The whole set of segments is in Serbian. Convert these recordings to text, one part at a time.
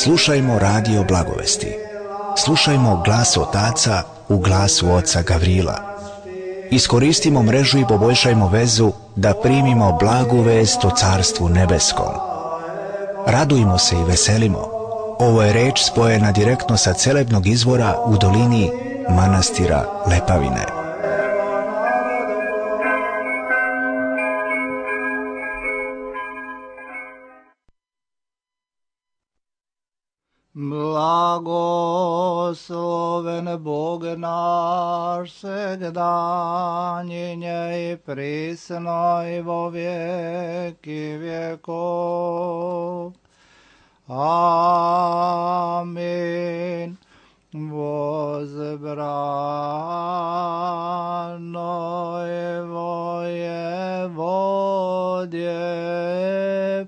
Slušajmo radio Blagovesti. Slušajmo glas otaca u glasu oca Gavrila. Iskoristimo mrežu i poboljšajmo vezu da primimo blagu vest o Carstvu nebeskom. Radujmo se i veselimo. Ovo je reč spojena direktno sa celebnog izvora u dolini manastira Lepavine. Blagosloven Bog naš, segdanjenje i prisno i vo vijeki vjekov. Amin. Возбрано его Еводье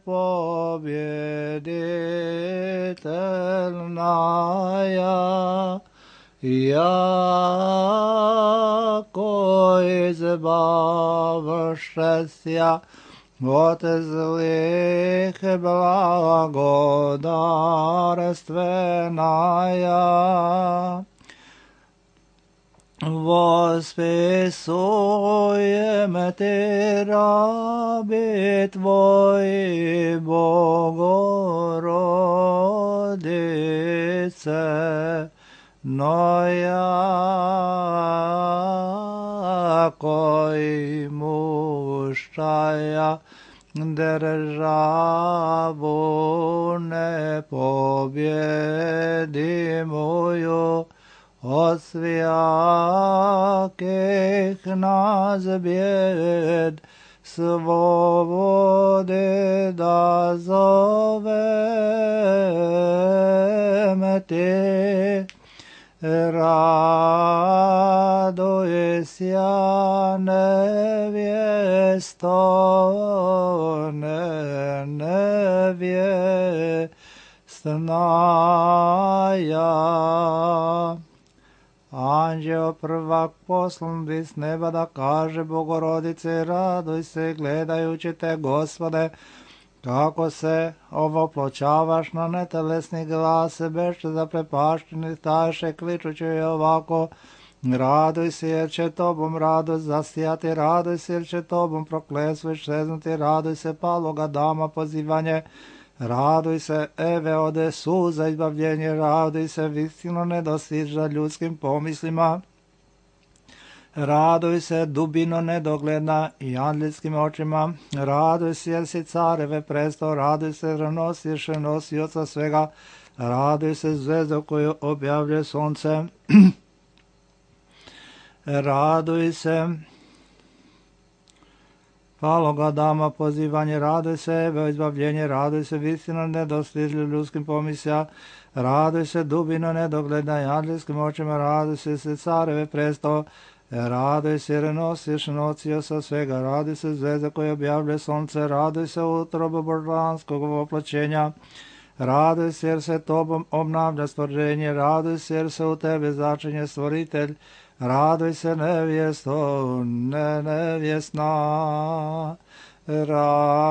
победительная, яко избавшеся от злых благодарственная. Восписуем Ты, раби Твои, Богородице, но яко имущая державу непобедимую, от всяких нас бед свободы да зовем Ты. Радуйся, невесто, невестная. Anđeo prvak poslan bi s neba da kaže Bogorodice, raduj se gledajući te, Gospode, kako se ovopločavaš na netelesni glas, beše zaprepašteni staše, kličući je ovako: raduj se jer će tobom radost zasijati, raduj se jer će tobom prokletstvo iščeznuti, raduj se paloga dama pozivanje, raduj se Eve ode suza izbavljenje, raduj se vistino nedostižna ljudskim pomislima, raduj se dubino nedogledna i anđelskim očima, raduj se jer si careve presto, raduj se jer nosiš nosioca svega, raduj se zvezdo koju objavlja sunce, raduj se paloga dama pozivanje, raduj se Eve izbavljenje, raduj se vistina nedostižljiv ljudskim pomislja, raduj se dubino nedogledna i anđelskim očima, raduj se careve presto, raduj se jer nosiš nosioca svega, raduj se zvezda koja objavlja sunce, raduj se utrobo božanskog oploćenja, raduj se jer se tobom obnavlja stvorenje, raduj se jer se u tebe začinje stvoritelj, raduj se nevjesto, nevjesna, raduj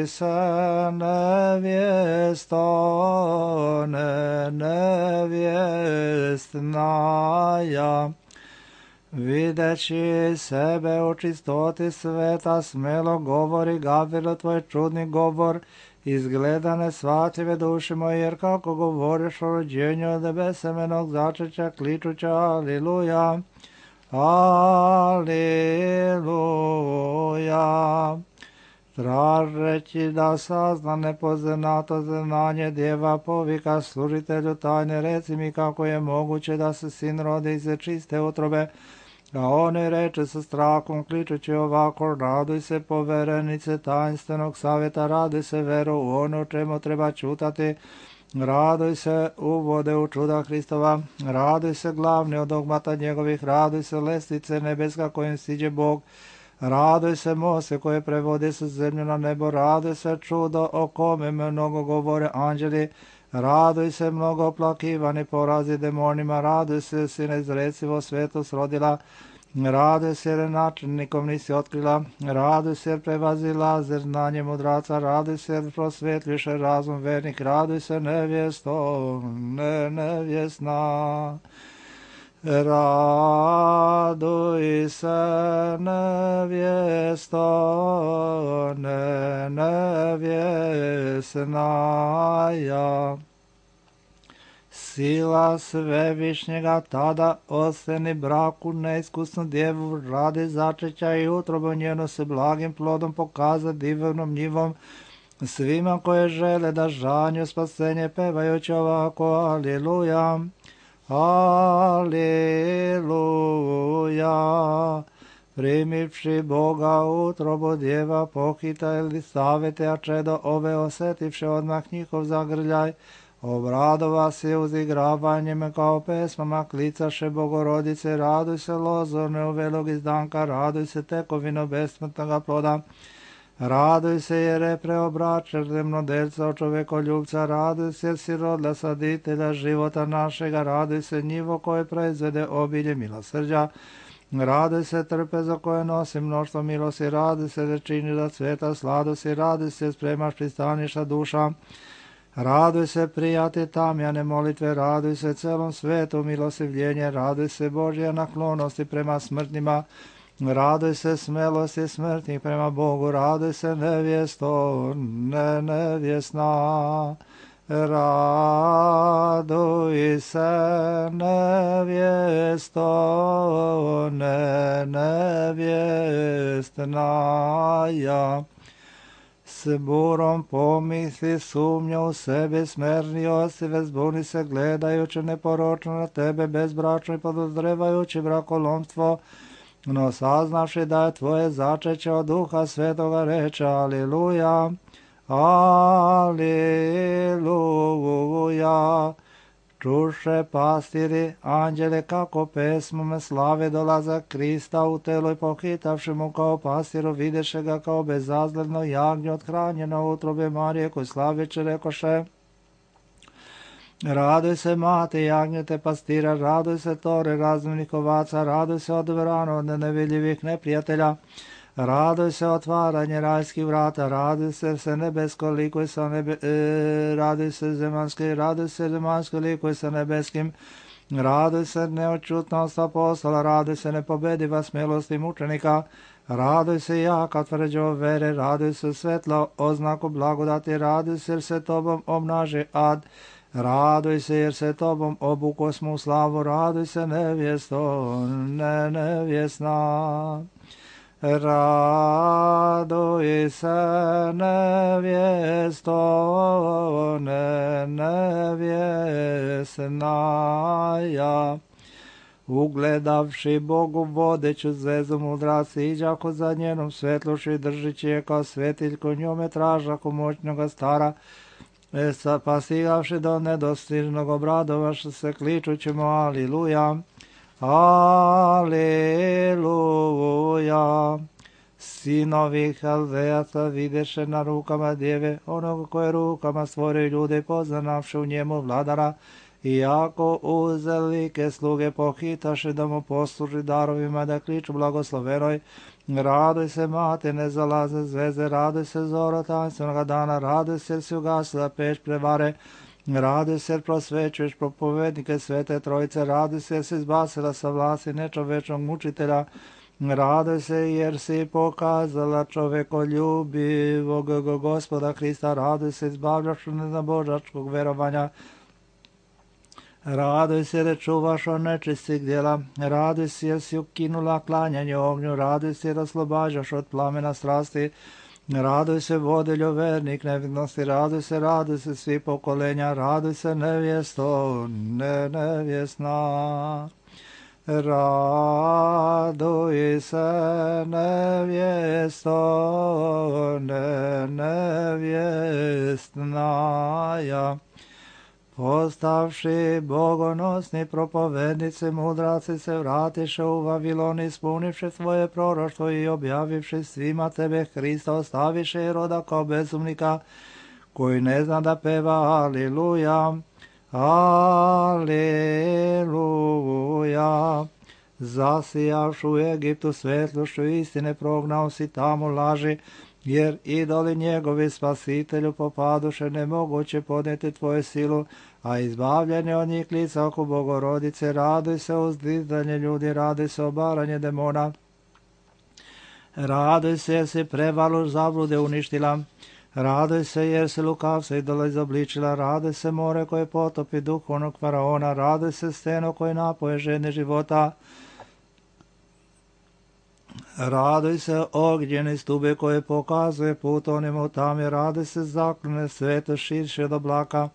se nevjesto, nevjestnaja. Videći sebe u čistoti sveta, smelo govori Gavrilo tvoj čudni govor, izgleda nesvatljive duše moje, jer kako govoriš o rođenju od besemenog začeća, kličuća aliluja, aliluja. Tražeći da sazna nepoznato znanje, djeva povika služitelju tajne, reci mi kako je moguće da se sin rodi iz čiste utrobe. A oni reče sa strahom, kličući ovako: raduj se poverenice tajnstvenog savjeta, raduj se veru u ono čemu treba čutati, raduj se uvode u čuda Hristova, raduj se glavni od dogmata njegovih, raduj se lestvice nebeska kojim siđe Bog, raduj se mose koje prevode sa zemlju na nebo, raduj se čudo o kome mnogo govore anđeli, raduj se mnogo oplakivani porazi demonima, raduj se si neizrecivo svetost rodila, Raduj se jer načelnikom nisi otkrila, raduj se jer prevazila znanje mudraca, raduj se jer prosvetliše razum vernik, raduj se nevjesto, nevjesna. Raduj se nevjesto, nevjesna ja. Sila svevišnjega tada oseni braku neiskusnu djevu radi začeća i utrobu njenu se blagim plodom pokaza divnom njivom svima koje žele da žanju spasenje pevajući ovako Aliluja, Aliluja. Primivši Boga utrobu djeva pohita ili savete, a čedo ove osetivše odmah njihov zagrljaj, obradova se uzigravanjem kao pesmama klicaše Bogorodice, raduj se lozorne uvelog izdanka, raduj se tekovino besmrtnoga ploda, raduj se jer je preobračen zemnodelca od čovekoljubca, raduj se jer si rodila saditelja života našega, raduj se njivo koje proizvede obilje milosrđa, raduj se trpezo koje nosi mnoštvo milosti, raduj se da čini da cveta sladosti, raduj se spremaš pristaniša duša, raduj se prijati tamjane molitve, raduj se celom svetu milostivljenje, raduj se Božja naklonosti prema smrtnima, raduj se smelosti smrtnih prema Bogu, raduj se nevjesto, nevjesna. Raduj se nevjesto, nevjestna ja. S burom pomisli sumnja u sebi, smerni osive zbuni se gledajući neporočno na tebe, bezbračno i podozrevajući brakolomstvo, no saznavši da je tvoje začeće od Duha Svetoga reče Aliluja, Aliluja. Čuše pastiri anđele kako pesmom slave dolaza Krista u telo i pohitavši mu kao pastiru videše ga kao bezazledno jagnje othranjeno u utrobe Marije koji slaveće rekoše, raduj se mati jagnjete pastira, raduj se tore razumnih ovaca, raduj se odbrano od nevidljivih neprijatelja, raduj se otvaranje rajskih vrata, raduj se nebesko likuj sa raduj se zemaljski likuj sa nebeskim, raduj se neočutnost apostola, raduj se nepobediva smelosti mučenika, raduj se jaka tvrđo vere, raduj se svetlo oznaku blagodati, raduj se jer se tobom obnaži ad, raduj se jer se tobom obukosmo u slavu, raduj se nevjesto, nevjesna. Raduj se nevjesto, nevjesna ja. Ugledavši Bogu vodeću zvezdu mudrac, iđako za njenom svetluši držići je kao svetiljko, njome tražako moćnoga stara, pa stigavši do nedostižnog obradovaša se kličućemo Aliluja, Aliluja. Sinovi Haldejaca videše na rukama djeve, onog koje rukama stvorio ljude i poznavši u njemu vladara, iako uzelike sluge pohitaše da mu posluži darovima da kliču blagoslovenoj, raduj se mate nezalazne zvezde, raduj se zoro tanstvenoga dana, raduj se jer si ugasila peć prevare, raduj se jer prosvećuješ propovednike svete trojice, raduj se jer si izbacila sa vlasti nečovečnog mučitelja, raduj se jer si pokazala čovekoljubivog Gospoda Hrista, raduj se izbavljaš od neznabožačkog verovanja, raduj se jer čuvaš od nečistih djela, raduj se jer si ukinula klanjanje ognju, raduj se jer oslobađaš od plamena strasti, raduj se vodiljo vernik nevidnosti, raduj se svi pokolenja, raduj se nevjesto, nevjesna. Raduj se nevjesto, nevjestna ja. Postavši bogonosni propovednici, mudraci se vratiše u Vavilon, ispunivši svoje proroštvo i objavivši svima tebe Hrista, ostaviše i roda kao bezumnika, koji ne zna da peva Aliluja, Aliluja. Zasijavšu u Egiptu svetlošću istine, prognao si tamo laži, jer idoli njegovi spasitelju popaduše, nemoguće podnijeti tvoju silu, a izbavljanje od njih lica oko Bogorodice. Raduj se uzdizanje ljudi, raduj se obaranje demona. Raduj se jer si prevalu zablude uništila. Raduj se jer si lukavca idola izobličila. Raduj se more koje potopi duhovnog faraona. Raduj se steno koje napoje žene života. Raduj se ognjene stube koje pokazuje put onima u tami. Raduj se zaklone sveto širše od oblaka.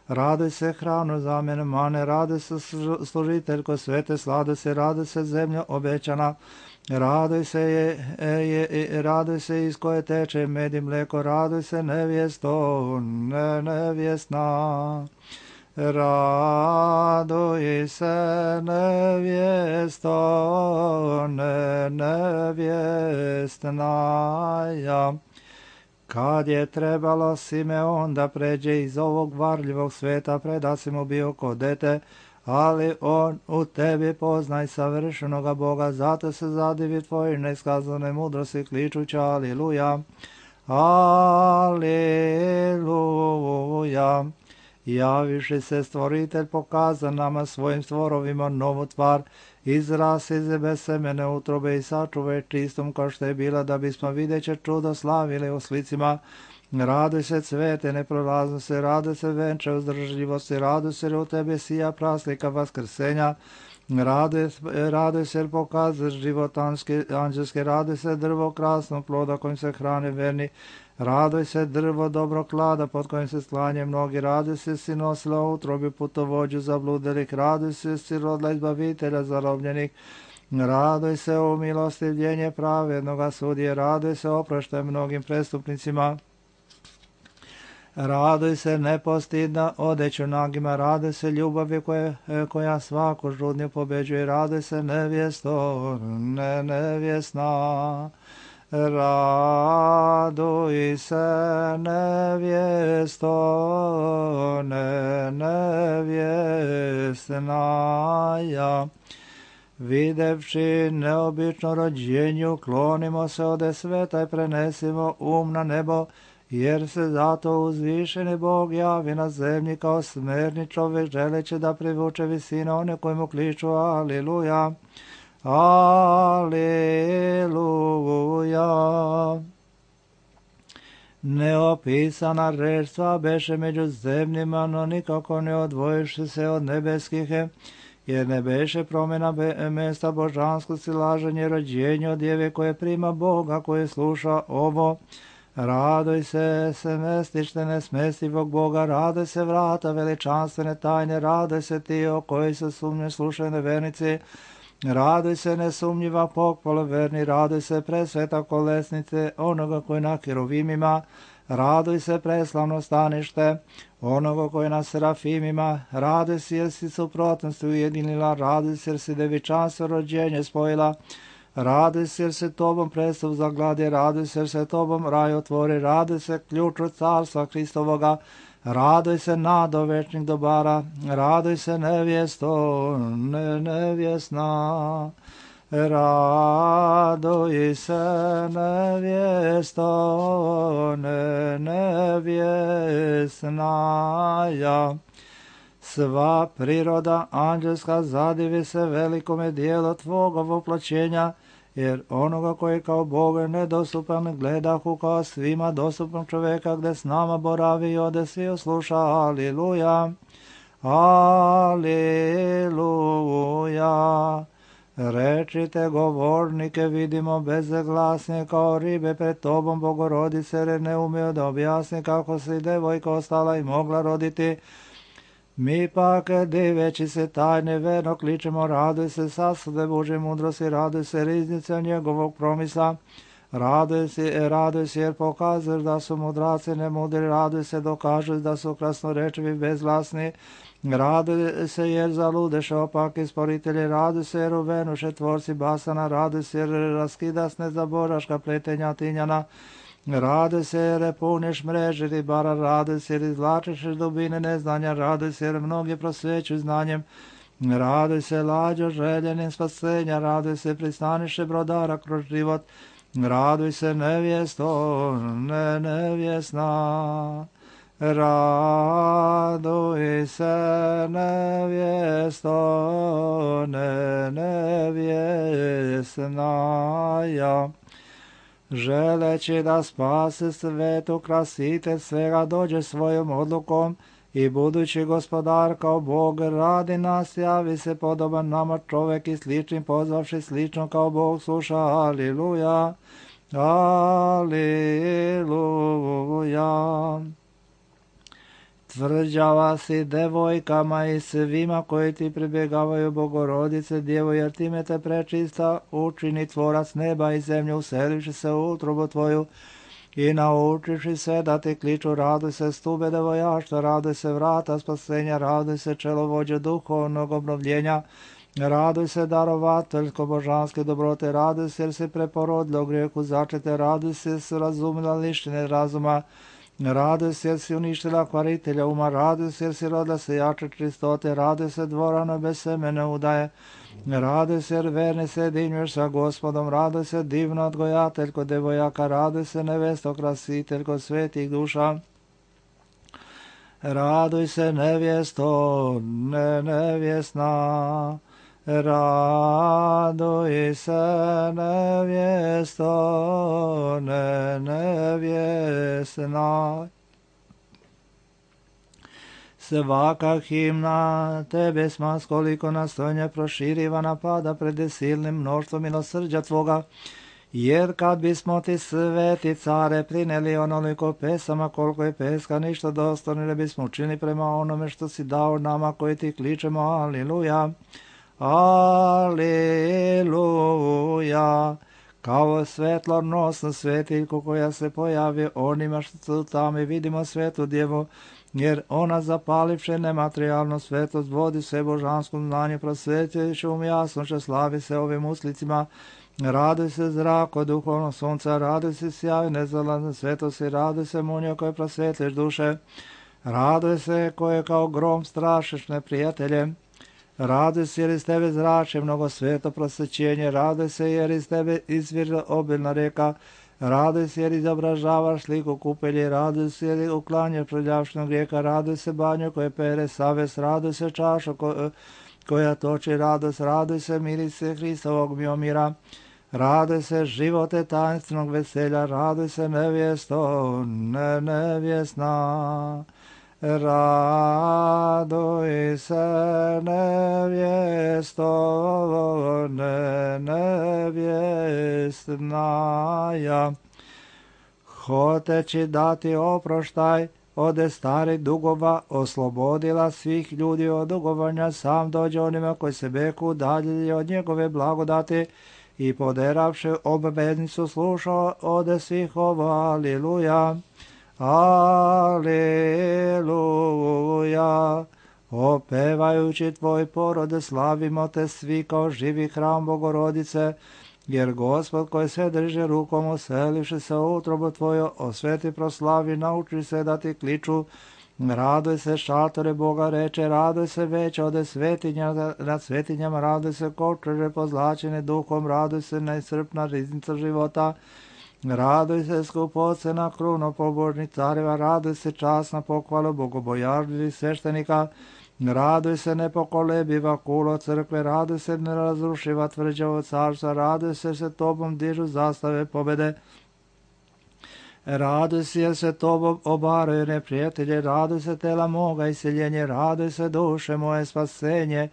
Raduj se hranu zamjene mane. Raduj se služiteljko svete sladosti. Raduj se zemlja obećana. Raduj se iz koje teče med i mleko. Raduj se nevjesto, nevjesna. Raduj se nevjesto, nevjestna. Kad je trebalo Simeon da pređe iz ovog varljivog sveta, preda si mu bio ko dete, ali on u tebi poznaj savršenoga Boga, zato se zadivi tvoje neskazane mudrosti kličuća aliluja, aliluja. Javiši se stvoritelj, pokaza nama svojim stvorovima novu tvar, izras iz besemene utrobe i sačuvaj čistom kao što je bila, da bismo videće čudo slavili u slicima. Raduj se cvete neprolaznosti, raduj se venče uzdržljivosti, raduj se jer u tebi sija praslika vaskrsenja. Raduj se jer pokazuješ život anđelski, raduj se drvo krasnog ploda kojim se hrane verni. Raduj se drvo dobrog klada pod kojim se sklanje mnogi. Raduj se si nosila u utrobi putovođu zabludelih. Raduj se si rodila izbavitelja zarobljenih. Raduj se u milostivljenje pravednoga sudije. Raduj se oproštaj mnogim prestupnicima. Raduj se nepostidna odeću nagima. Raduj se ljubavi koja svaku žudnju pobeđuje. Raduj se nevjesto, nevjesna. Raduj se nevjesto, nevjesna. Videvši neobično rođenju, klonimo se ode sveta i prenesimo na nebo, jer se zato uzvišeni Bog javi na zemlji kao smerni čovjek, želeći da privuče visine one koji mu kliču aliluja, aliluja. Neopisana reč sva beše među zemljima, no nikako ne odvojiši se od nebeskih, jer ne beše promjena mjesta božanskosti, laženje rođenja od djeve koje prima Boga, koje sluša ovo. Raduj se mestište nesmestivog Boga, raduj se vrata veličanstvene tajne, raduj se ti o koji se sumnje slušaju nevernici, raduj se nesumnjiva pohvala verni, raduj se presveta kolesnice onoga koji na kerovimima, raduj se preslavno stanište onoga koji na serafimima, raduj se jer si suprotnosti ujedinila, raduj se jer si devičanstvo rođenje spojila, raduj se jer se tobom prestup zagladi, raduj se jer se tobom raj otvori, raduj se ključu carstva Hristovoga, raduj se nado večnih dobara, raduj se nevjesto, nevjesna. Raduj se nevjesto, nevjesna. Sva priroda anđelska zadivi se velikome dijelu tvoga voplaćenja, jer onoga koji kao Boga nedostupan gledahu kao svima dostupnog čovjeka, gdje s nama boravi i ode svi osluša. Aliluja, aliluja. Rečite govornike, vidimo bezglasne kao ribe pred tobom, Bogorodice, jer ne umio da objasni kako se devojka ostala i mogla roditi. Mi pak, diveći se tajne, verno kličemo, raduj se sasude Božje mudrosti, raduj se riznice njegovog promisla, raduj se jer pokazuješ da su mudraci nemudri, raduj se dokažeš da su krasnorečivi bezglasni, raduj se jer zaludeše opaki sporitelji, raduj se jer uvenuše tvorci basana, raduj se jer raskidasne zaboraška pletenja tinjana, raduj se jer puniš mreže ribara, raduj se jer izvlačiš dubine neznanja, raduj se jer mnogi prosvećuju znanjem, Raduj se, lađo, željenim spasenja, raduj se, pristaniše brodara kroz život, raduj se, nevjesto, nevjesna. Raduj se, nevjesto, nevjesnaja. Želeći da spase svetu krasitelj svega dođe svojom odlukom i budući gospodar kao Bog radi nas, javi se podoban nama čovek i sličnim pozvavši slično kao Bog sluša. Aliluja, aliluja. Tvrđava si devojkama i svima koji ti pribjegavaju, Bogorodice Djevo, jer time te prečista učini tvorac neba i zemlje, uselivši se u utrobu tvoju i naučiši se da ti kliču. Raduj se, stube devojaštva, raduj se, vrata spasenja, raduj se, čelovođe duhovnog obnovljenja, raduj se, darovateljsko božanske dobrote, raduj se, jer si preporodila u grijehu začete, raduj se, jer si razumila lištine razuma, raduj se, jer si uništila kvaritelja uma, raduj se, jer si rodila se jače čistote, raduj se, dvorano bez semene udaje, raduj se, jer verni se jedinjuješ sa Gospodom, raduj se, divno odgojateljko devojaka, raduj se, nevesto krasiteljko svetih duša, raduj se, nevjesto, nevjesna, raduj se, nevjesto, nevjesna. Svaka himna tebe sma skoliko nastojnje proširivana pada pred silnim mnoštvom milosrđa tvoga, jer kad bismo ti sveti care prineli onoliko pesama koliko je peska, ništa dostojno ne bismo učinili prema onome što si dao nama koji ti kličemo. Aliluja, aliluja. Kao svetlonosnu svetiljku koja se pojavi onima što su tamo i vidimo svetu djevu, jer ona zapalivše nematerijalnu svetlost vodi se božanskom znanju, prosvetljujući jasnoće, slavi se ovim uslicima. Raduj se, zrako duhovnog sunca, raduj se, sjaj nezalazne svetosti, raduj se, munjo koje prosvetliš duše, raduj se koje kao grom strašiš neprijatelje, raduj se jer iz tebe zrače mnogo sveto prosvećenje, raduj se jer iz tebe izvire obilna reka, raduj se jer izobražavaš sliku kupelje, raduj se jer uklanjaš prljavšnog grijeka, raduj se banju koje pere savest, raduj se čašu koja toči radost, raduj se mirise Hristovog miomira, raduj se živote tajnstvenog veselja, raduj se nevjesto, nevjesna, raduj se nevjesto, nevjesnaja. Hoteći dati oproštaj ode starih dugova, oslobodila svih ljudi od dugovanja, sam dođe onima koji se beku udaljili od njegove blagodati i poderavši obveznicu slušao ode svih ovo. Aliluja, aliluja. Opevajući tvoj porode slavimo te svi kao živi hram Bogorodice, jer Gospod koji se drži rukom uselivši se u utrobu tvoju, osveti proslavi, nauči se da ti kliču. Raduj se, šatore Boga reče, raduj se već ode svetinja nad svetinjama, raduj se kočeže pozlačene duhom, raduj se neiscrpna riznica života, raduj se skupocena kruno pobožnih careva, raduj se časna pohvala bogobojažljivih sveštenika, raduj se nepokolebiva kulo crkve, raduj se nerazrušiva tvrđavo carstva, raduj se tobom dižu zastave pobede, raduj se jer se tobom obaraju neprijatelje, raduj se tela moga iseljenje, raduj se duše moje spasenje,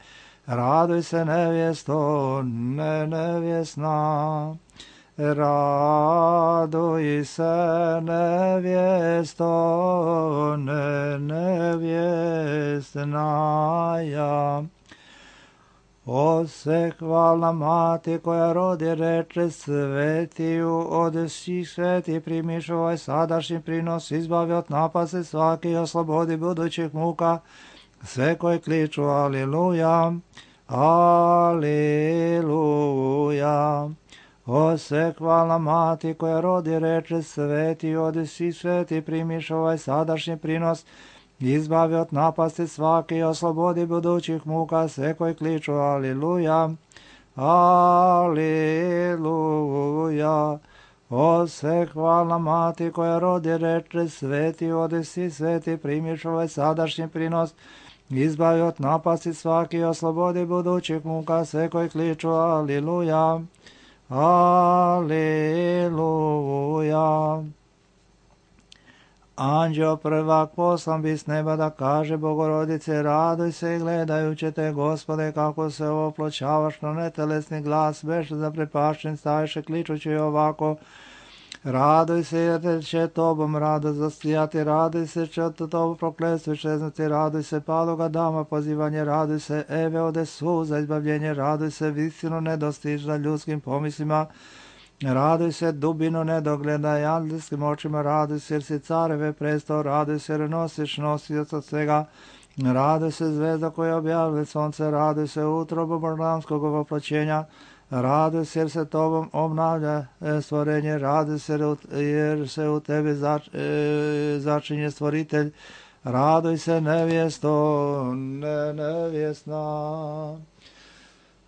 raduj se nevjesto, nevjesna, raduj se nevjesto, nevjesnaja. O se hvalna mati koja rodi reče svetiju, od svih sveti primiš ovaj sadašnji prinos, izbavi od napase svaki, oslobodi budućih muka, sve koji kliču aliluja, aliluja. O se hvalna mati koja rodi reče sveti, od svih sveti primiš ovaj sadašnji prinos, izbavi od napasti svake i oslobodi budućih muka sve koji kliču aliluja, aliluja. O sve hvalna mati koja rodi reče sveti, odesi sveti, primiš ovaj sadašnji prinos, izbavi od napasti svaki i oslobodi budućih muka sve koji kliču aliluja, aliluja. Anđeo prvak poslan bi s neba da kaže Bogorodice, raduj se i gledajući te, Gospode, kako se oploćavaš na netelesni glas, već zaprepašćen staješe kličući ovako, raduj se jer će tobom radost zasijati, raduj se će od tobu prokletstvo iščeznuti, raduj se paloga dama pozivanje, raduj se Eve ode suza izbavljenje, raduj se visinu nedostižna ljudskim pomislima, raduj se dubinu nedogleda i angelskim očima, raduj se jer si careve prestao, raduj se jer nosiš nosioc od svega, raduj se zvezda koja objavlja sonce, raduj se utrobu božanskog voplaćenja, raduj se jer se tobom obnavlja stvorenje, raduj se jer se u tebi začinje stvoritelj, raduj se nevjesto, nevjesna.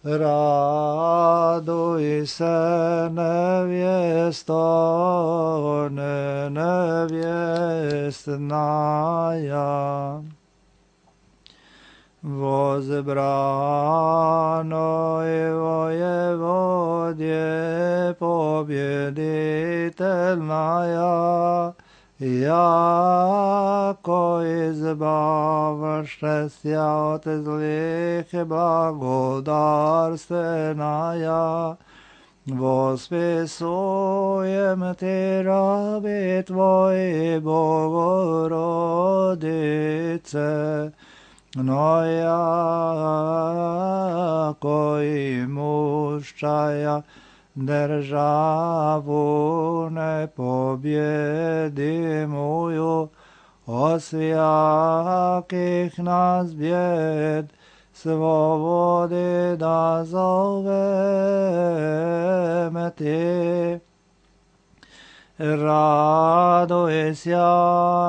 Raduj se nevjesto, nevjestnaja. Возбранoj воеводje победительная, jako izbavaše от злих благодарственная. Восписуем ти раби твои, Богородице, но яко имущая державу непобедимую, от всяких нас бед свободы да зовем ти. Радуйся,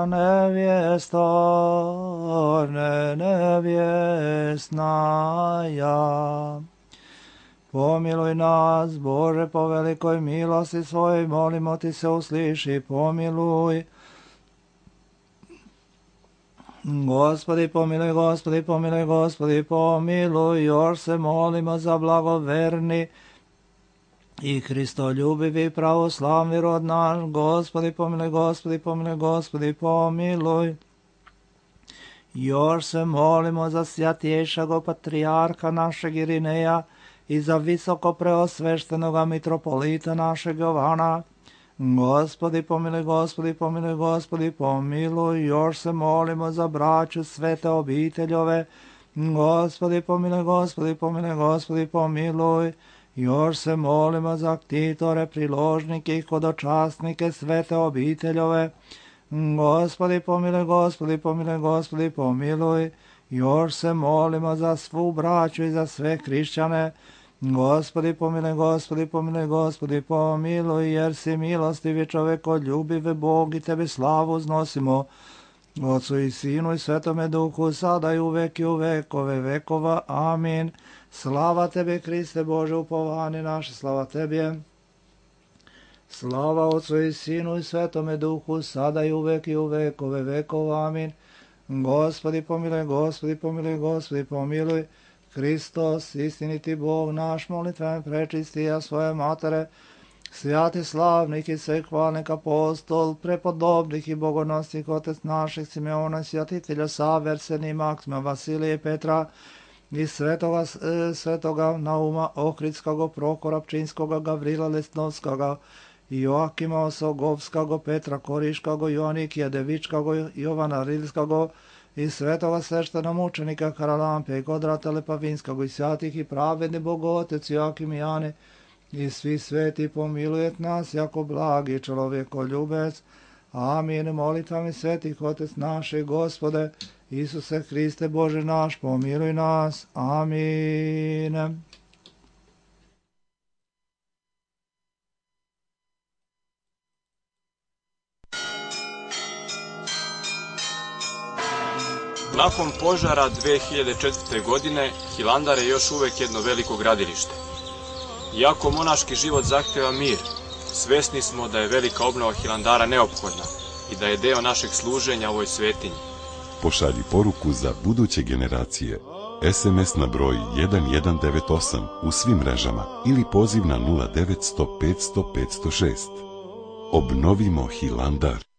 невесто, невестная. Помилуй нас, Боже, по великой милости Своей, молимо Ти се услыши, помилуй. Господи, помилуй, Господи, помилуй, Господи, помилуj, još se molimo za blagoverni i Hristoljubivi pravoslavni rod naš, Gospodi, pomiloj, Gospodi, pomiloj, Gospodi, pomiloj. Još se molimo za svjatješago patrijarha našeg Irineja i za visoko preosveštenoga mitropolita našeg Jovana. Gospodi, pomiloj, Gospodi, pomiloj, Gospodi, pomiloj. Još se molimo za braću svete obiteljove. Gospodi, pomiloj, Gospodi, pomiloj, Gospodi, pomiloj. Još se molimo za ktitore, priložnike i hodočasnike svete obiteljove. Gospodi, pomiloj, Gospodi, pomiloj, Gospodi, pomiloj. Još se molimo za svu braću i za sve hrišćane. Gospodi, pomiloj, Gospodi, pomiloj, Gospodi, pomiloj, jer si milostivi čovekoljubiv Bog i Tebi slavu uznosimo. Otcu i Sinu i Svetome Duhu, sada i uvek i u vekove vekova. Amin. Slava Tebi, Hriste Bože, upovanje naše, slava Tebi. Slava Otcu i Sinu i Svetome Duhu, sada i uvek i u vekove vekova. Amin. Gospodi, pomiloj, Gospodi, pomiloj, Gospodi, pomiloj. Hristos, istiniti Bog naš, molitven prečistija svoje matere, svjati slavnik i svehvalnik apostol, prepodobnih i bogonosnih otec naših Simeona, svjatitelja Saverseni, Maksima, Vasilije, Petra i svetoga Nauma, Ohridskoga, Prokora, Pčinskoga, Gavrila Lesnovskoga, Joakima Osogovskoga, Petra Koriškoga, Joanikija Devičkoga, Jovana Rilskoga, i svetoga sveštena mučenika Karalampe i Kodrata Lepavinskog i svjatih i pravedni Bogotec Joakim i Jane i svi sveti pomilujet nas jako blagi čovjekoljubec. Amin. Molitvami svetih Otec naše, Gospode, Isuse Hriste Bože naš, pomiluj nas. Amin. Nakon požara 2004. godine, Hilandar je još uvek jedno veliko gradilište. Iako monaški život zahteva mir, svesni smo da je velika obnova Hilandara neophodna i da je deo našeg služenja ovoj svetinji. Pošalji poruku za buduće generacije. SMS na broj 1198 u svim mrežama ili poziv na 0900 500 506. Obnovimo Hilandar.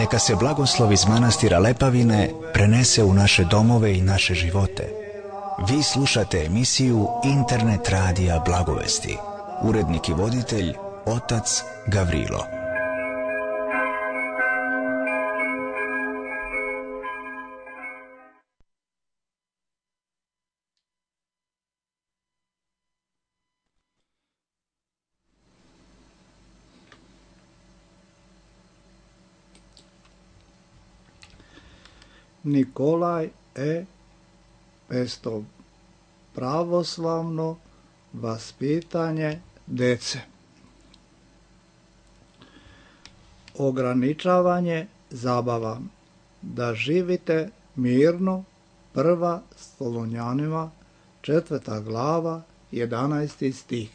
neka se blagoslov iz manastira Lepavine prenese u naše domove i naše živote. Vi slušate emisiju Internet radija Blagovesti. Urednik i voditelj otac Gavrilo. Nikolaj Pestov. Pravoslavno vaspitanje dece. Ograničavanje zabava. Da živite mirno. 1. Solunjanima 4. glava 11. stih.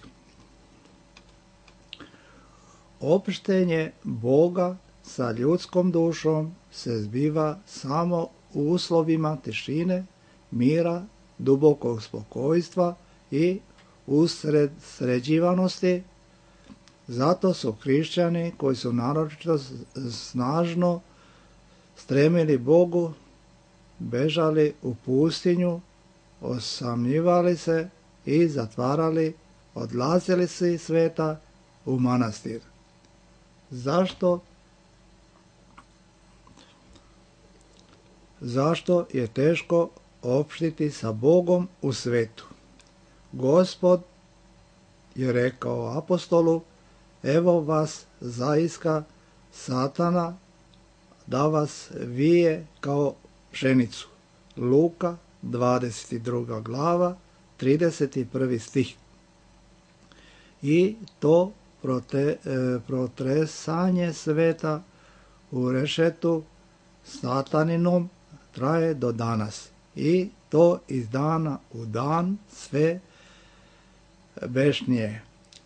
Opštenje Boga sa ljudskom dušom se zbiva samo u uslovima tišine, mira, dubokog spokojstva i usređivanosti. Zato su hrišćani koji su naročito snažno stremili Bogu, bežali u pustinju, osamljivali se i zatvarali, odlazili su iz sveta u manastir. Zašto je teško opštiti sa Bogom u svetu? Gospod je rekao apostolu: evo vas zaiska Satana da vas vije kao pšenicu. Luka 22. glava 31. stih. I to protresanje sveta u rešetu Sataninom traje do danas. I to iz dana u dan sve bešnije.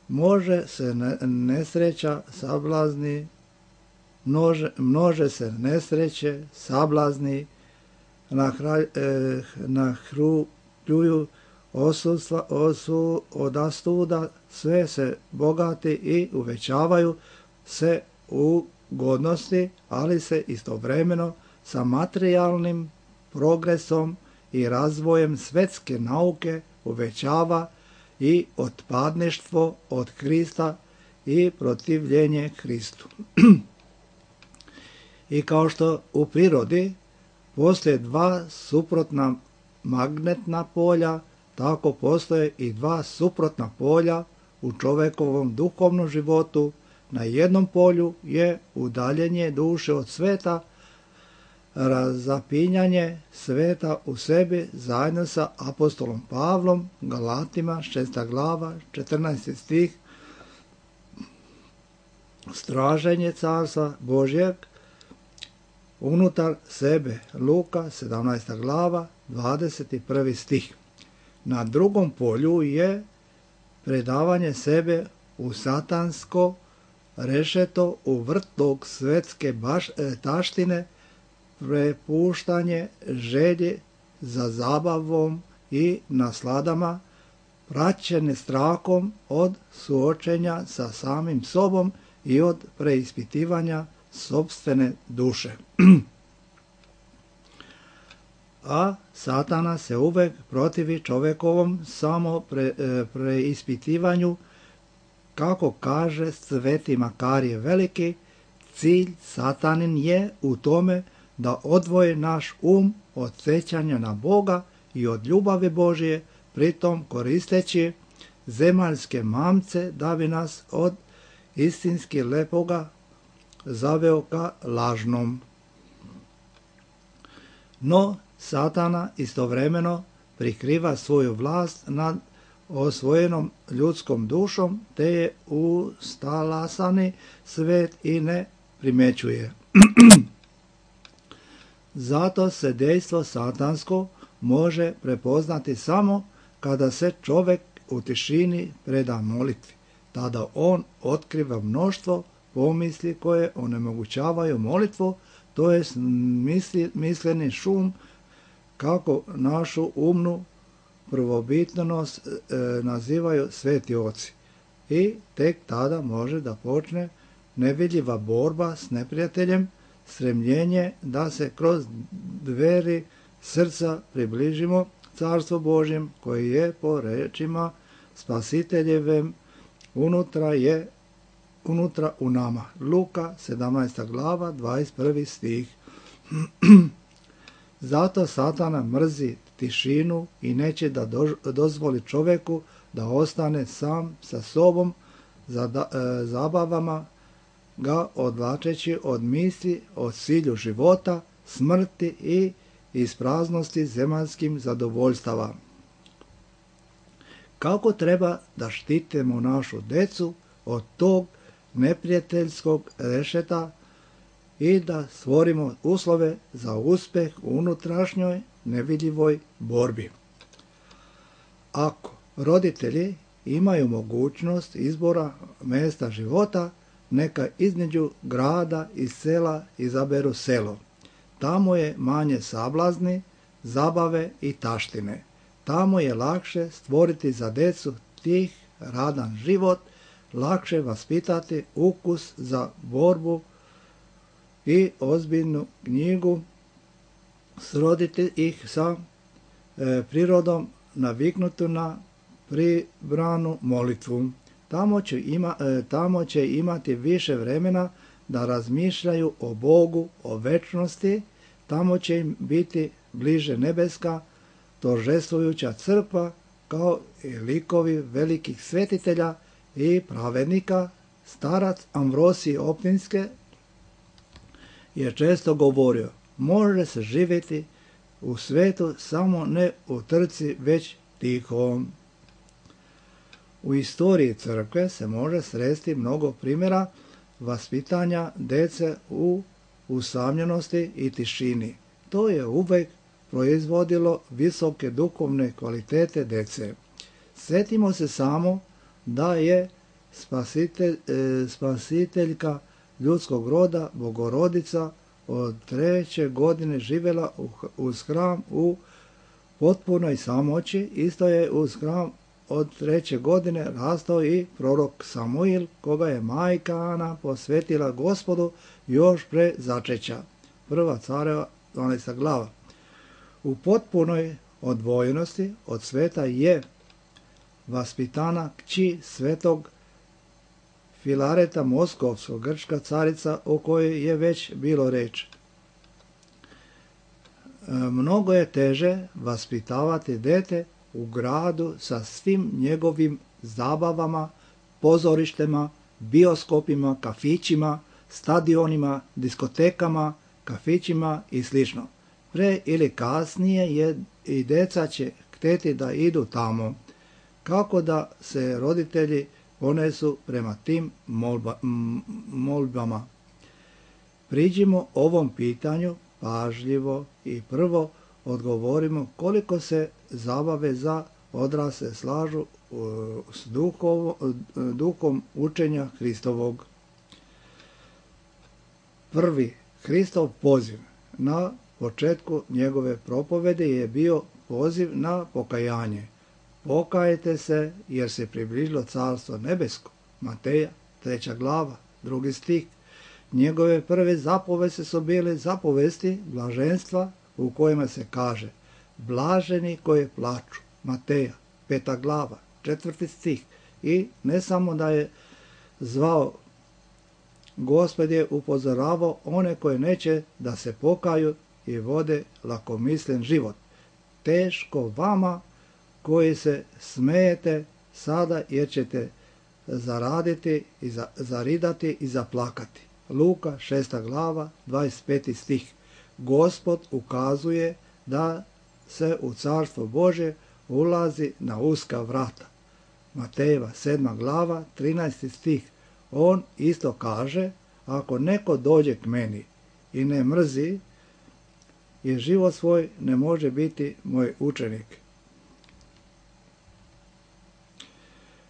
Množe se nesreće, sablazni, nahrljuju odastuda, sve se bogati i uvećavaju se ugodnosti, ali se istovremeno sa materijalnim progresom i razvojem svetske nauke uvećava i otpadništvo od Krista i protivljenje Hristu. I kao što u prirodi postoje dva suprotna magnetna polja, tako postoje i dva suprotna polja u čovekovom duhovnom životu. Na jednom polju je udaljenje duše od sveta, razapinjanje sveta u sebi zajedno sa apostolom Pavlom, Galatima 6. glava 14. stih, straženje carstva Božjeg unutar sebe, Luka 17. glava 21. stih. Na drugom polju je predavanje sebe u satansko rešeto, u vrtlog svetske taštine, prepuštanje želje za zabavom i nasladama, praćene strahom od suočenja sa samim sobom i od preispitivanja sopstvene duše. A Satana se uvek protivi čovekovom samo preispitivanju. Kako kaže Sveti Makarije Veliki, cilj Satanin je u tome da odvoje naš od sećanja na Boga i od ljubavi Božje, pritom koristeći zemaljske mamce da bi nas od istinski lepoga zaveo ka lažnom. No, Satana istovremeno prikriva svoju vlast nad osvojenom ljudskom dušom, te je ustalasani svet i ne primećuje. Zato se dejstvo satansko može prepoznati samo kada se čovek u tišini preda molitvi. Tada on otkriva mnoštvo pomisli koje onemogućavaju molitvu, to je misleni šum, kako našu umnu prvobitnost nazivaju sveti oci. I tek tada može da počne nevidljiva borba s neprijateljem, stremljenje da se kroz dveri srca približimo Carstvu Božjem koje je po rečima Spasiteljevem unutra u nama. Luka 17. glava 21. stih. Zato Satana mrzi tišinu i neće da dozvoli čoveku da ostane sam sa sobom, zabavama ga odvlačeći od misli o cilju života, smrti i ispraznosti zemaljskim zadovoljstava. Kako treba da štitimo našu decu od tog neprijateljskog rešeta i da stvorimo uslove za uspeh u unutrašnjoj nevidljivoj borbi. Ako roditelji imaju mogućnost izbora mjesta života, neka između grada i sela izaberu selo. Tamo je manje sablazni, zabave i taštine. Tamo je lakše stvoriti za decu tih radan život, lakše vaspitati ukus za borbu i ozbiljnu knjigu, sroditi ih sa prirodom naviknutu na pribranu molitvu. Tamo će imati više vremena da razmišljaju o Bogu, o večnosti, tamo će im biti bliže nebeska, торжествуjuća crkva, kao i likovi velikih svetitelja i pravednika. Starac Amvrosij Optinske je često govorio, može se živjeti u svetu samo ne u trci, već tiho. U istoriji crkve se može sresti mnogo primjera vaspitanja dece u usamljenosti i tišini. To je uvek proizvodilo visoke duhovne kvalitete dece. Sjetimo se samo da je spasiteljka ljudskog roda, Bogorodica, od 3. godine živjela uz hram u potpunoj samoći. Isto je uz hram od 3. godine rastao i prorok Samuil, koga je majka Ana posvetila Gospodu još pre začeća. 1. Careva 12. glava. U potpunoj odvojenosti od sveta je vaspitana kći svetog Filareta Moskovskog, grčka carica o kojoj je već bilo reč. Mnogo je teže vaspitavati dete u gradu sa svim njegovim zabavama, pozorištima, bioskopima, kafićima, stadionima, diskotekama, kafićima i sl. Pre ili kasnije i deca će hteti da idu tamo. Kako da se roditelji ponesu prema tim molbama? Priđimo ovom pitanju pažljivo i prvo odgovorimo koliko se zabave za odrasle slažu s duhom učenja Hristovog. Prvi Hristov poziv na početku njegove propovede je bio poziv na pokajanje. Pokajte se jer se približilo Carstvo nebesko. Mateja 3. glava 2. stih. Njegove prve zapovesti su bile zapovesti blaženstva u kojima se kaže blaženi koji plaču. Mateja 5. glava 4. stih. I ne samo da je zvao, Gospod je upozoravao one koje neće da se pokaju i vode lakomislen život. Teško vama koji se smejete sada jer ćete zaraditi i zaridati i zaplakati. Luka 6. glava 25. stih. Gospod ukazuje da se u Carstvo Božje ulazi na uska vrata. Matejeva 7. glava 13. stih. On isto kaže, ako neko dođe k meni i ne mrzi i život svoj, ne može biti moj učenik.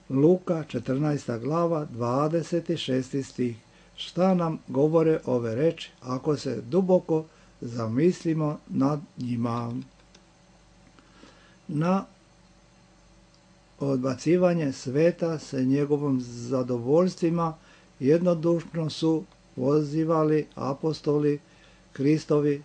Luka 14. glava 26. stih. Šta nam govore ove reči ako se duboko zamislimo nad njima? Na odbacivanje sveta sa njegovim zadovoljstvima jednodušno su pozivali apostoli Kristovi,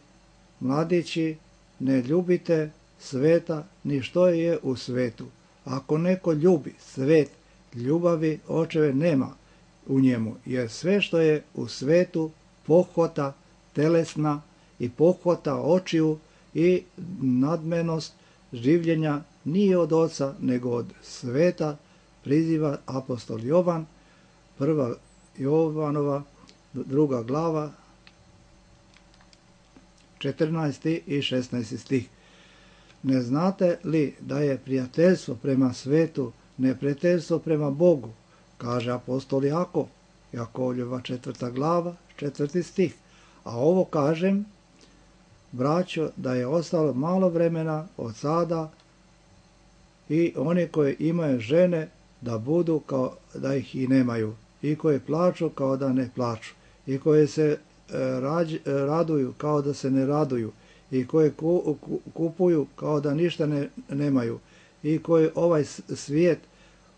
mladići, ne ljubite sveta ni što je u svetu. Ako neko ljubi svet, ljubavi očeve nema u njemu, jer sve što je u svetu, pohota telesna i pohota očiju i nadmenost življenja nije od oca, nego od sveta, priziva apostol Jovan, 1. Jovanova, 2. glava, 14. i 16. stih. Ne znate li da je prijateljstvo prema svetu neprijateljstvo prema Bogu, kaže apostol Jakov, Jakovljeva 4. glava, 4. stih. A ovo kažem, braćo, da je ostalo malo vremena od sada i oni koji imaju žene da budu kao da ih i nemaju, i koji plaču kao da ne plaču, i koji se raduju kao da se ne raduju, i koji kupuju kao da ništa nemaju, i koji ovaj svijet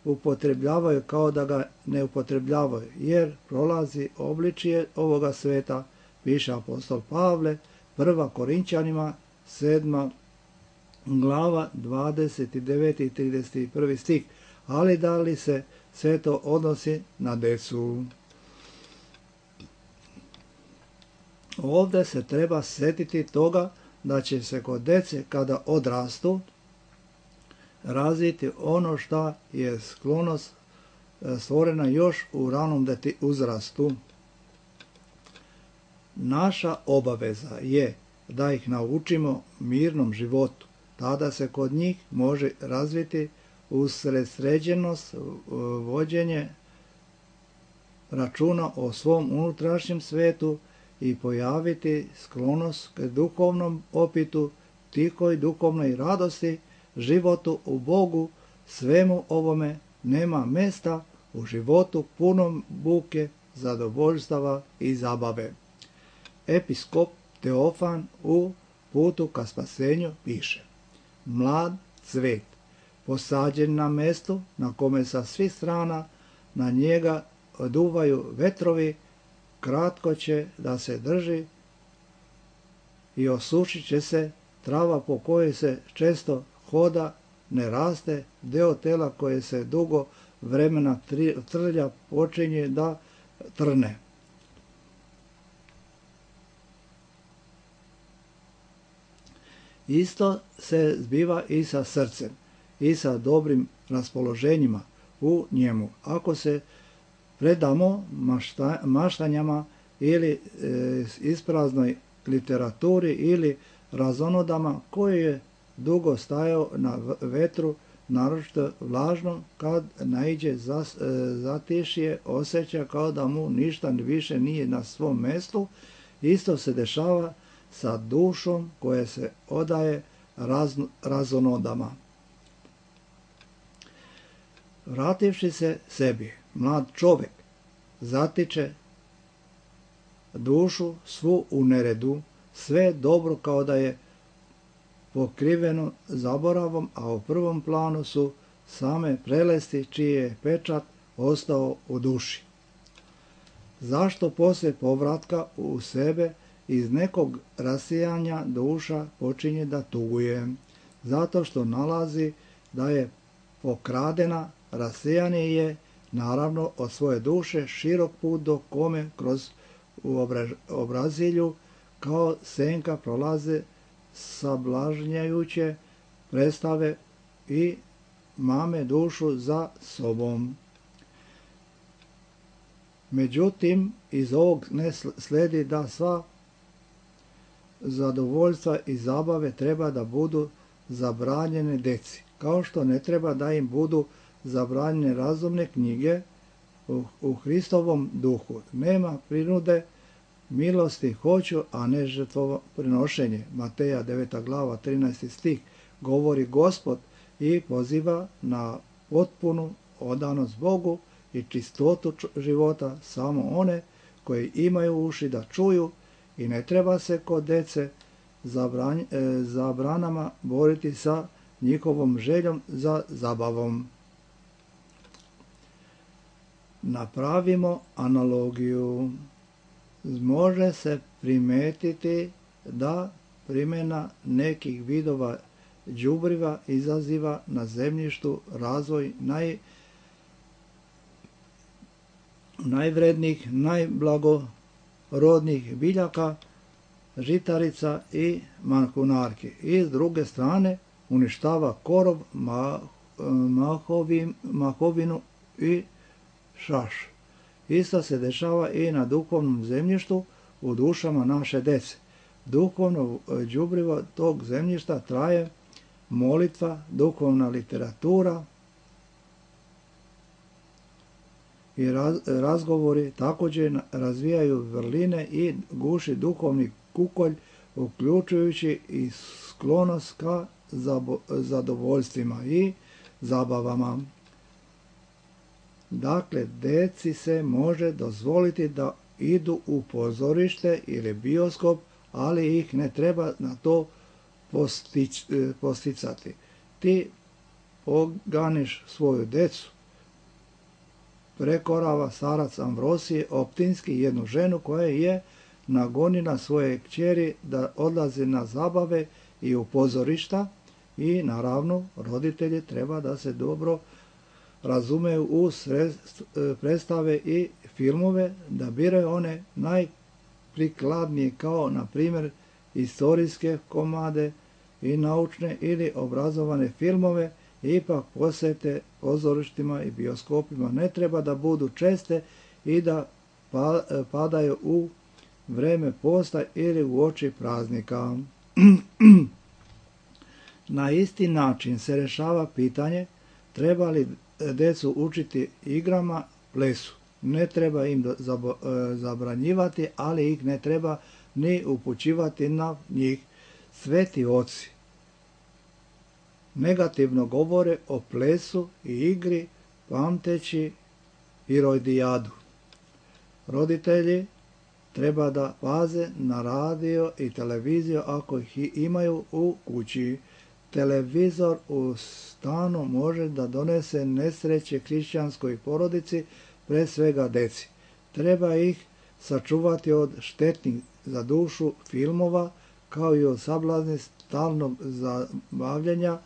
upotrebljavaju kao da ga ne upotrebljavaju, jer prolazi obličje ovoga sveta, piše apostol Pavle, 1. Korinčanima, 7. glava, 29. i 31. stih. Ali da li se sve to odnosi na decu? Ovdje se treba sjetiti toga da će se kod dece kada odrastu razviti ono što je sklonost stvorena još u ranom uzrastu. Naša obaveza je da ih naučimo mirnom životu. Tada se kod njih može razviti usredsređenost, vođenje računa o svom unutrašnjem svetu i pojaviti sklonost k duhovnom opitu, tihoj duhovnoj radosti, životu u Bogu. Svemu ovome nema mesta u životu punom buke, zadovoljstava i zabave. Episkop Teofan u Putu ka spasenju piše: mlad cvet, posađen na mestu na kome sa svih strana na njega duvaju vetrovi, kratko će da se drži i osušit će se. Trava po kojoj se često hoda ne raste, deo tela koje se dugo vremena trlja počinje da trne. Isto se zbiva i sa srcem i sa dobrim raspoloženjima u njemu. Ako se predamo maštanjama ili ispraznoj literaturi ili razonodama koji je dugo stajao na vetru, naročito vlažno, kad naiđe zatišje, osjeća kao da mu ništa više nije na svom mjestu. Isto se dešava sa dušom koja se odaje razonodama. Vrativši se sebi, mlad čovjek zatiče dušu svu u neredu, sve dobro kao da je pokriveno zaboravom, a u prvom planu su same prelesti čiji je pečat ostao u duši. Zašto poslije povratka u sebe iz nekog rasijanja duša počinje da tuguje? Zato što nalazi da je pokradena, rasijanje je naravno od svoje duše širok put do kome kroz obrazilju kao senka prolaze sablažnjajuće predstave i mame dušu za sobom. Međutim, iz ovog ne sledi da sva zadovoljstva i zabave treba da budu zabranjene deci, kao što ne treba da im budu zabranjene razumne knjige u Hristovom duhu. Nema prinude, milosti hoću, a ne žrtvoprinošenje. Mateja 9. glava 13. stih govori Gospod i poziva na potpunu odanost Bogu i čistotu života samo one koji imaju uši da čuju, i ne treba se kod dece zabranama boriti sa njihovom željom za zabavom. Napravimo analogiju. može se primetiti da primjena nekih vidova đubriva izaziva na zemljištu razvoj najvrednijih, najblagorodnijih biljaka, žitarica i mahunarki. I s druge strane uništava korov, mahovinu i šaš. Isto se dešava i na duhovnom zemljištu u dušama naše dece. Duhovno đubrivo tog zemljišta traje molitva, duhovna literatura i razgovori, također razvijaju vrline i guši duhovni kukolj, uključujući i sklonost ka zadovoljstvima i zabavama. Dakle, deci se može dozvoliti da idu u pozorište ili bioskop, ali ih ne treba na to posticati. Ti poganiš svoju decu. Prekorava starac Amvrosije Optinski jednu ženu koja je nagonila svoje kćeri da odlaze na zabave i u pozorišta i naravno roditelji treba da se dobro razumeju u predstave i filmove, da biraju one najprikladnije kao na primjer istorijske komade i naučne ili obrazovane filmove, ipak posjete pozorištima i bioskopima ne treba da budu česte i da padaju u vreme posta ili u oči praznika. Na isti način se rješava pitanje treba li decu učiti igrama, plesu. Ne treba im zabranjivati, ali ih ne treba ni upućivati na njih. Sveti oci negativno govore o plesu i igri, pamteći Irodijadu. Roditelji treba da paze na radio i televiziju ako ih imaju u kući. Televizor u stanu može da donese nesreće hrišćanskoj porodici, pre svega deci. Treba ih sačuvati od štetnih za dušu filmova, kao i od sablazni stalnog zabavljanja,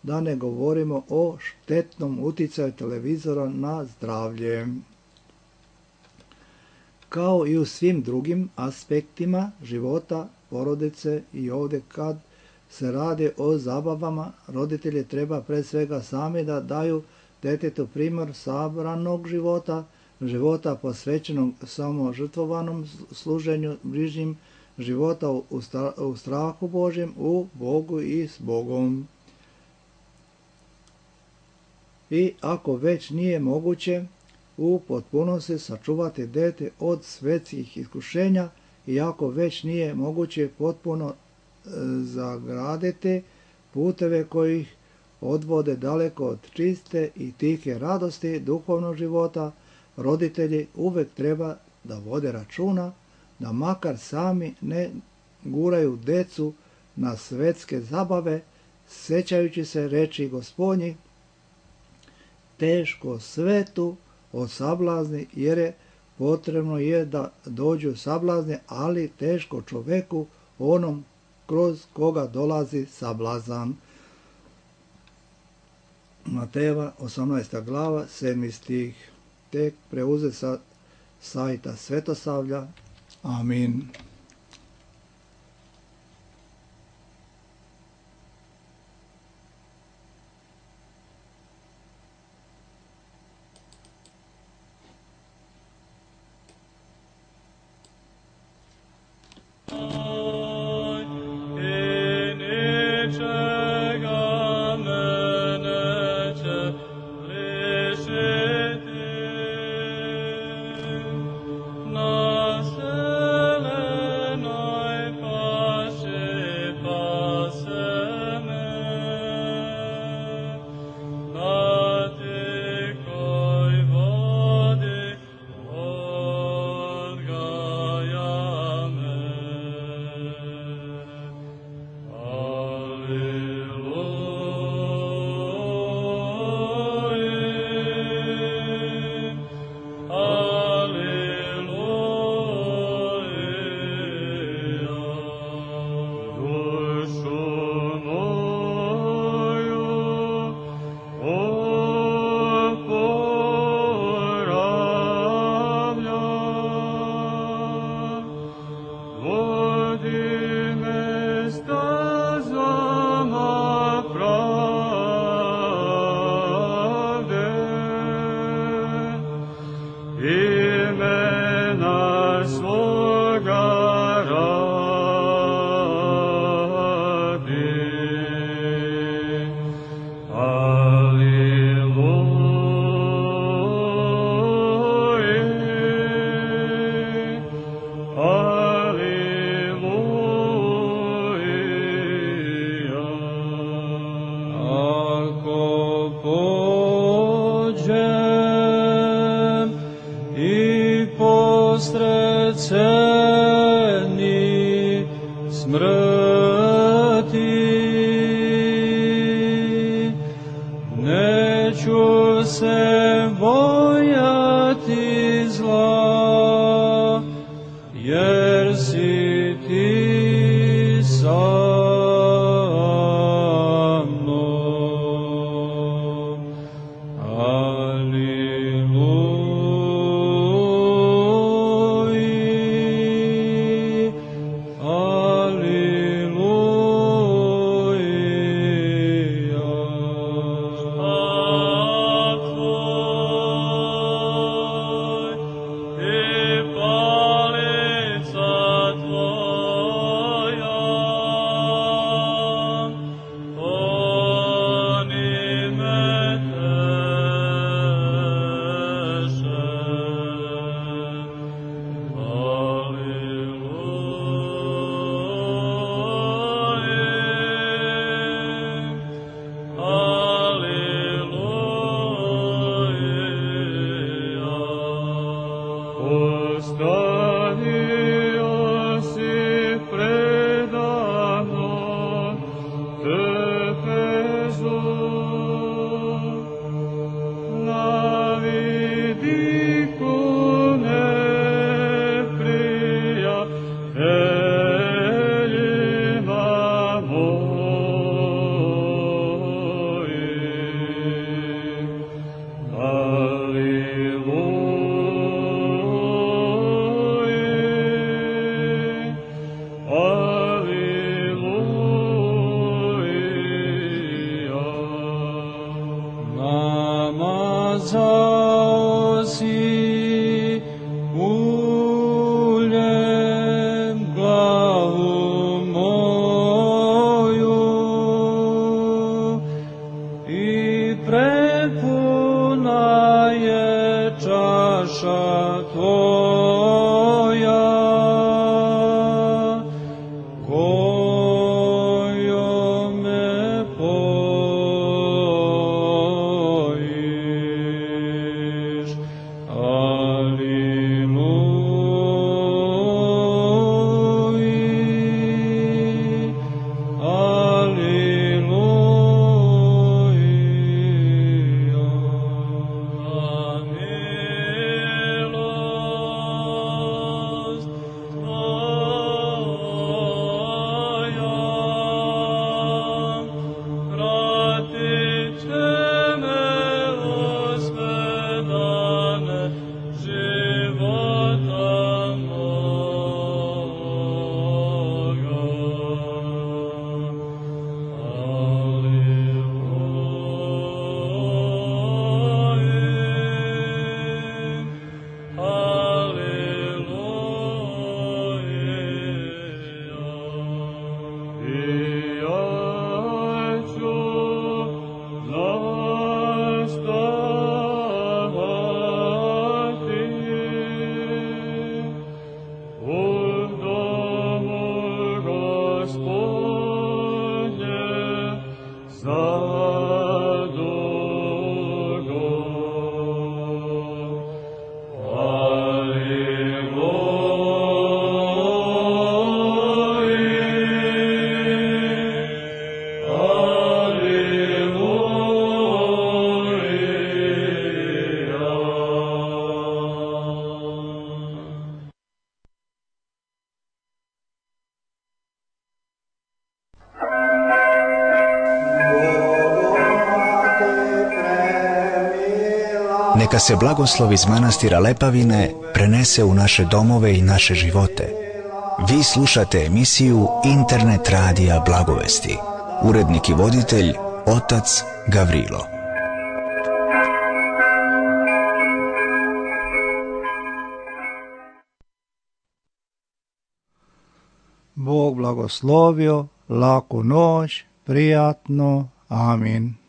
da ne govorimo o štetnom uticaju televizora na zdravlje. Kao i u svim drugim aspektima života porodice i ovdje kad se radi o zabavama, roditelji treba pre svega sami da daju detetu primjer sabranog života, života posvećenog samo žrtvovanom služenju bližnjim, života u strahu Božjem, u Bogu i s Bogom. I ako već nije moguće u potpunosti sačuvati dete od svetskih iskušenja i ako već nije moguće potpuno zagraditi puteve koji ih odvode daleko od čiste i tihe radosti duhovnog života, roditelji uvek treba da vode računa da makar sami ne guraju decu na svetske zabave, sećajući se reči Gospodnjih: teško svetu od sablazni, jer je potrebno da dođu sablazni, ali teško čoveku onom kroz koga dolazi sablazan. Matejeva 18. glava 7. stih. Tek preuzet sa sajta Svetosavlja. Amin. Nasele se bojati zla, jer si ti sa mnom. Aliluji, aliluja. Ostavio si predano Efezu, na vidiku neprijateljima mojim. Namazao si uljem glavu moju i prepuna je čaša tvoja, kojom me pojiš. Aliluji, aliluja. Milost tvoja pratit će me osme dane života moga. Neka se blagoslov iz manastira Lepavine prenese u naše domove i naše živote. Vi slušate emisiju Internet radija Blagovesti. Urednik i voditelj otac Gavrilo. Bog blagoslovio, laku noć, prijatno, amin.